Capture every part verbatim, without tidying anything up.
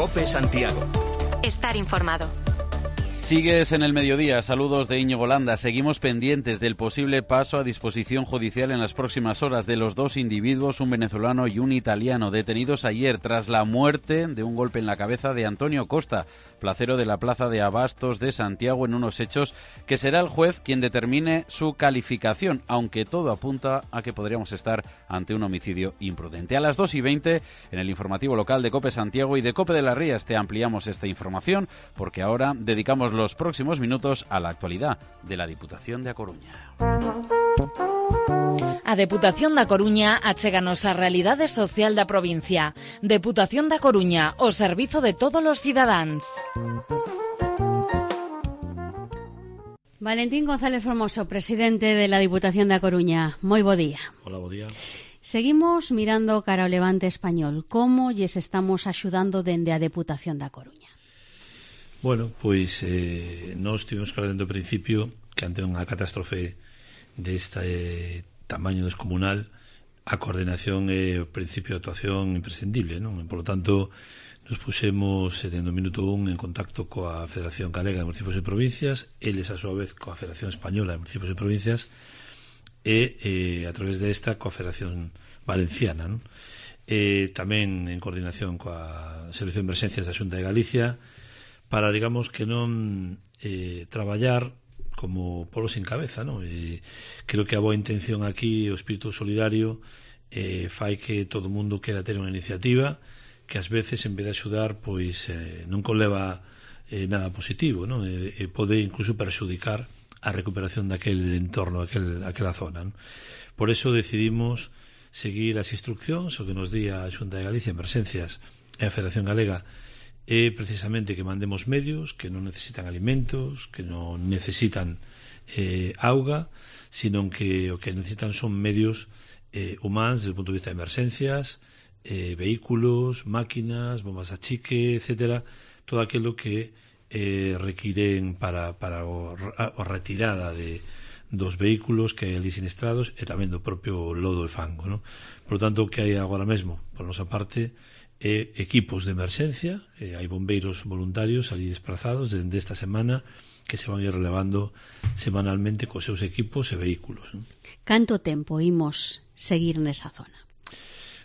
COPE Santiago. Estar informado. Sigues en el mediodía, saludos de Íñigo Landa. Seguimos pendientes del posible paso a disposición judicial en las próximas horas de los dos individuos, un venezolano y un italiano, detenidos ayer tras la muerte de un golpe en la cabeza de Antonio Costa, placero de la Plaza de Abastos de Santiago, en unos hechos que será el juez quien determine su calificación, aunque todo apunta a que podríamos estar ante un homicidio imprudente. A las dos y veinte, en el informativo local de COPE Santiago y de COPE de las Rías, te ampliamos esta información, porque ahora dedicamos los próximos minutos a la actualidad de la Diputación de A Coruña. A Deputación da Coruña achéganos a realidade social da provincia. Deputación da Coruña, o servizo de todos os cidadáns. Valentín González Formoso, presidente de la Diputación da Coruña. Moi bo día. Hola, bo día. Seguimos mirando cara ao levante español. Como lles estamos axudando dende a Deputación da Coruña? Bueno, pois eh, nós tivemos claro dentro do principio que ante unha catástrofe deste eh, tamaño descomunal a coordinación é o principio de actuación imprescindible, non? E, por lo tanto, nos puxemos eh, dentro do minuto un en contacto coa Federación Galega de Municipios e Provincias, eles a súa vez coa Federación Española de Municipios e Provincias e eh, a través desta coa Federación Valenciana, non? E tamén en coordinación coa Servicio de Emerxencias da Xunta de Galicia, para, digamos, que non eh, traballar como polo sin cabeza, non? E creo que a boa intención aquí, o espírito solidario, eh, fai que todo o mundo quera ter unha iniciativa que ás veces, en vez de axudar, pois eh, non conleva eh, nada positivo, non? E, e pode incluso perxudicar a recuperación daquel entorno, aquel, aquela zona, non? Por eso decidimos seguir as instruccións, o que nos di a Xunta de Galicia, Emerxencias e a Federación Galega, é precisamente que mandemos medios que non necesitan alimentos, que non necesitan eh, auga, sino que o que necesitan son medios eh, humanos desde o punto de vista de emerxencias, eh, vehículos, máquinas, bombas a chique, etcétera, todo aquilo que eh, requiren para, para o, a, a retirada de, dos vehículos que hai ali siniestrados e tamén do propio lodo e fango, non? Por lo tanto, o que hai agora mesmo, por nosa parte, e equipos de emerxencia, e hai bombeiros voluntarios ali desplazados dende esta semana que se van ir relevando semanalmente cos seus equipos e vehículos, non? Canto tempo imos seguir nesa zona?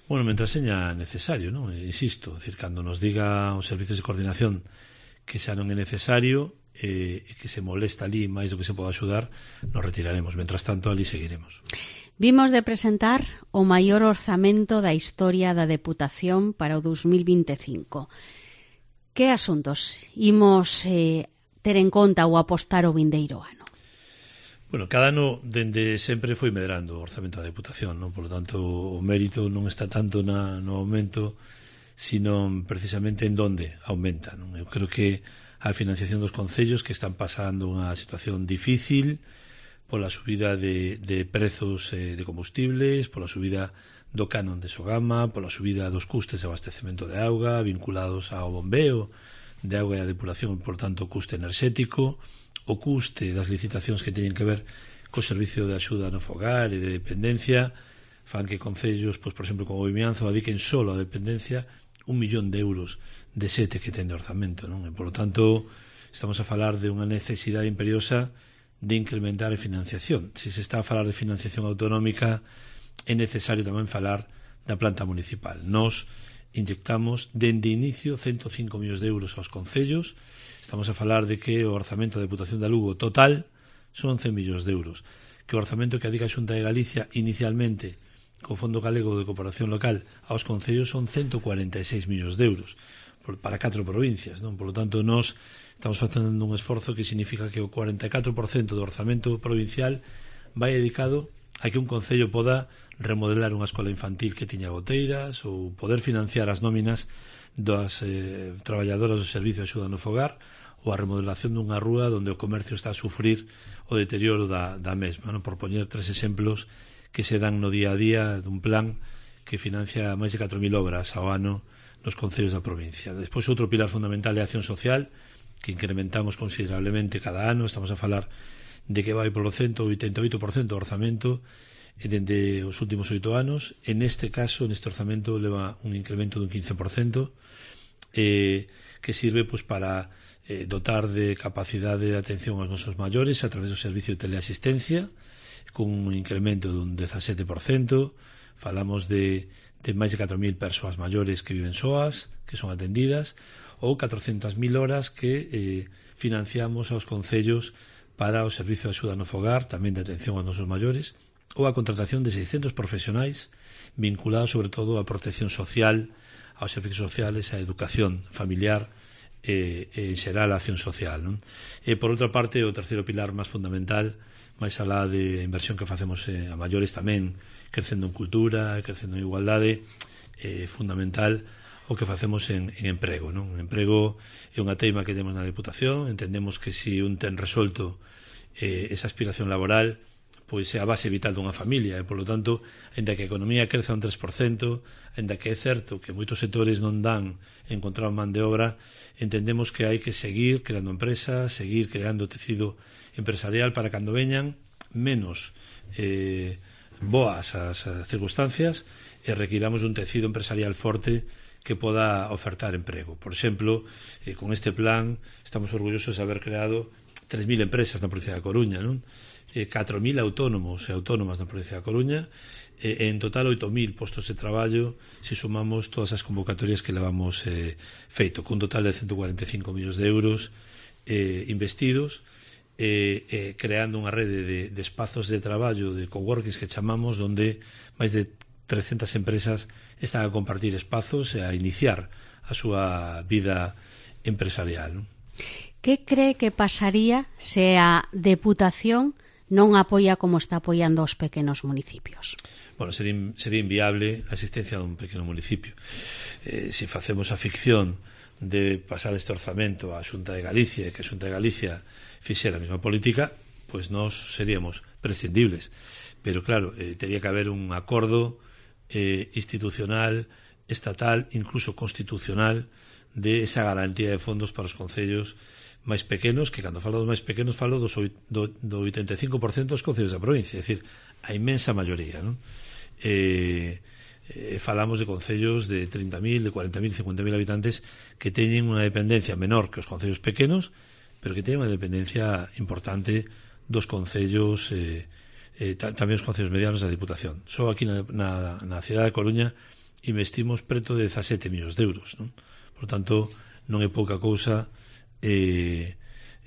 Bueno, mentre seña necesario, non? Insisto, decir, cando nos diga os servicios de coordinación que xa non é necesario e eh, que se molesta ali máis do que se pode axudar, nos retiraremos. Mentras tanto, ali seguiremos. Vimos de presentar o maior orzamento da historia da Deputación para o dos mil vinte e cinco. Que asuntos imos eh, ter en conta ou apostar o vindeiro ano? Bueno, cada ano dende sempre foi medrando o orzamento da Deputación, non? Por lo tanto, o mérito non está tanto na, no aumento, sino precisamente en donde aumenta, non? Eu creo que a financiación dos concellos, que están pasando unha situación difícil pola subida de, de prezos eh, de combustibles, pola subida do canon de Sogama, pola subida dos custes de abastecemento de auga vinculados ao bombeo de auga e a depuración, por tanto, o custe enerxético, o custe das licitacións que teñen que ver co servicio de axuda no fogar e de dependencia, fan que concellos, pois, por exemplo, como Vimianzo, adiquen solo a dependencia un millón de euros de sete que ten de orzamento, non? E, por lo tanto, estamos a falar de unha necesidade imperiosa de incrementar a financiación. Se se está a falar de financiación autonómica, é necesario tamén falar da planta municipal. Nos inyectamos dende inicio ciento cinco millóns de euros aos concellos. Estamos a falar de que o orzamento da Deputación de Lugo total son cen millóns de euros, que o orzamento que adica a Xunta de Galicia inicialmente co Fondo Galego de Cooperación Local aos concellos son ciento cuarenta e seis millóns de euros para catro provincias, non? Por lo tanto, nós estamos facendo un esforzo que significa que o cuarenta e catro por cento do orzamento provincial vai dedicado a que un concello poda remodelar unha escola infantil que tiña goteiras ou poder financiar as nóminas das eh, traballadoras do servicio de axuda no fogar ou a remodelación dunha rúa onde o comercio está a sufrir o deterioro da, da mesma, non? Por poñer tres exemplos que se dan no día a día dun plan que financia máis de catro mil obras ao ano nos concellos da provincia. Despois, outro pilar fundamental é a acción social, que incrementamos considerablemente cada ano. Estamos a falar de que vai polo ciento oitenta e oito por cento do orzamento dende os últimos oito anos. En este caso, neste orzamento, leva un incremento dun quince por cento. eh, que sirve pues para eh, dotar de capacidade de atención aos nosos maiores a través do servicio de teleasistencia, con un incremento dun dezasete por cento. Falamos de, de máis de catro mil persoas maiores que viven soas, que son atendidas, ou catrocentas mil horas que eh, financiamos aos concellos para o servicio de axuda no fogar, tamén de atención aos nosos maiores, ou a contratación de seiscentos profesionais vinculados sobre todo á protección social, aos servicios sociales, á educación familiar e, e en xeral a acción social, non? E por outra parte, o terceiro pilar máis fundamental, máis alá de inversión que facemos eh, a maiores tamén, crecendo en cultura, crecendo en igualdade, é eh, fundamental o que facemos en, en emprego, non? O emprego é unha teima que temos na Deputación. Entendemos que se un ten resolto eh, esa aspiración laboral, pois é a base vital dunha familia, e, polo tanto, ainda que a economía creza un tres por cento, ainda que é certo que moitos sectores non dan encontrar man de obra, entendemos que hai que seguir creando empresas, seguir creando tecido empresarial para cando veñan menos eh, boas as, as circunstancias e requiramos un tecido empresarial forte que poda ofertar emprego. Por exemplo, eh, con este plan estamos orgullosos de haber creado tres mil empresas na provincia da Coruña, non? Eh, catro mil autónomos e autónomas na provincia da Coruña, e eh, en total oito mil postos de traballo se sumamos todas as convocatorias que levamos eh, feito, cun total de ciento cuarenta e cinco millóns de euros eh, investidos, eh, eh, creando unha rede de, de espazos de traballo, de coworkings que chamamos, donde máis de trescentas empresas están a compartir espazos e a iniciar a súa vida empresarial, non? Que cree que pasaría se a Deputación non apoia como está apoiando os pequenos municipios? Bueno, sería, sería inviable a existencia dun pequeno municipio. Eh, se facemos a ficción de pasar este orzamento á Xunta de Galicia e que a Xunta de Galicia fixera a mesma política, pois nós seríamos prescindibles. Pero claro, eh, teria que haber un acordo eh, institucional, estatal, incluso constitucional, de esa garantía de fondos para os concellos máis pequenos, que cando falo dos máis pequenos falo dos, do, do oitenta e cinco por cento dos concellos da provincia, é dicir, a inmensa maioría, non? Eh, eh, falamos de concellos de trinta mil, de cuarenta mil, cincuenta mil habitantes que teñen unha dependencia menor que os concellos pequenos, pero que teñen unha dependencia importante dos concellos, eh, eh, tamén os concellos medianos da Diputación. Só aquí na, na, na cidade da Coruña investimos preto de dezasete millóns de euros, non? Por tanto, non é pouca cousa eh,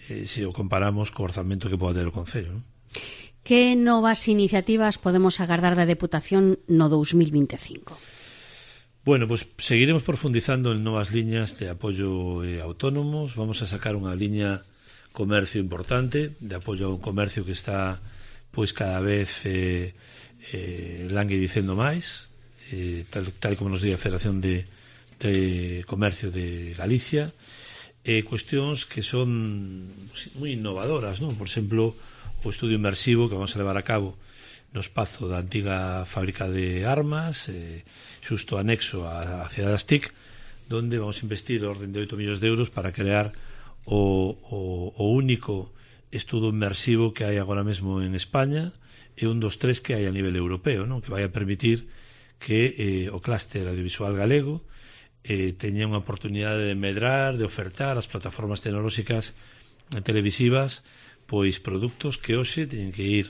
eh, se o comparamos co orzamento que pode ter o Concello, non? Que novas iniciativas podemos agardar da Deputación no dos mil vinte e cinco? Bueno, pues seguiremos profundizando en novas liñas de apoio eh, autónomos. Vamos a sacar unha liña comercio importante, de apoio a un comercio que está pois cada vez eh, eh, languidicendo máis, eh, tal, tal como nos di a Federación de de Comercio de Galicia, eh, cuestións que son moi innovadoras, non? Por exemplo, o estudio inmersivo que vamos a levar a cabo no espazo da antiga fábrica de armas, eh, xusto anexo á cidade das T I C, donde vamos a investir orden de oito millóns de euros para crear o, o, o único estudo inmersivo que hai agora mesmo en España, e un dos tres que hai a nivel europeo, non? Que vai a permitir que eh, o clúster audiovisual galego eh, teña unha oportunidade de medrar, de ofertar as plataformas tecnolóxicas televisivas pois produtos que hoxe teñen que ir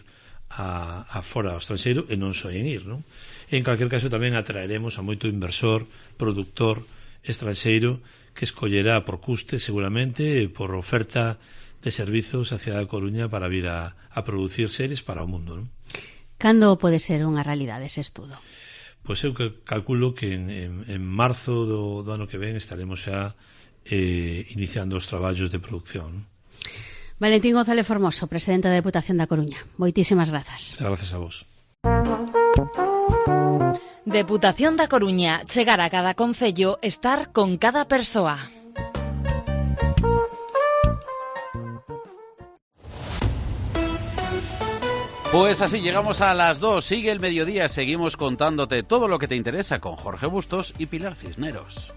a, a fora ao estranxeiro e non soen ir, non? En calquer caso tamén atraeremos a moito inversor, productor estranxeiro que escollerá por custe seguramente por oferta de servizos a cidade da Coruña para vir a, a producir series para o mundo, non? Cando pode ser unha realidade ese estudo? Pois eu calculo que en, en, en marzo do, do ano que ven estaremos xa eh, iniciando os traballos de producción. Valentín González Formoso, presidente da Deputación da Coruña. Moitísimas grazas. Muchas gracias a vos. Deputación da Coruña, chegar a cada concello, estar con cada persoa. Pues así llegamos a las dos, sigue el mediodía, seguimos contándote todo lo que te interesa con Jorge Bustos y Pilar Cisneros.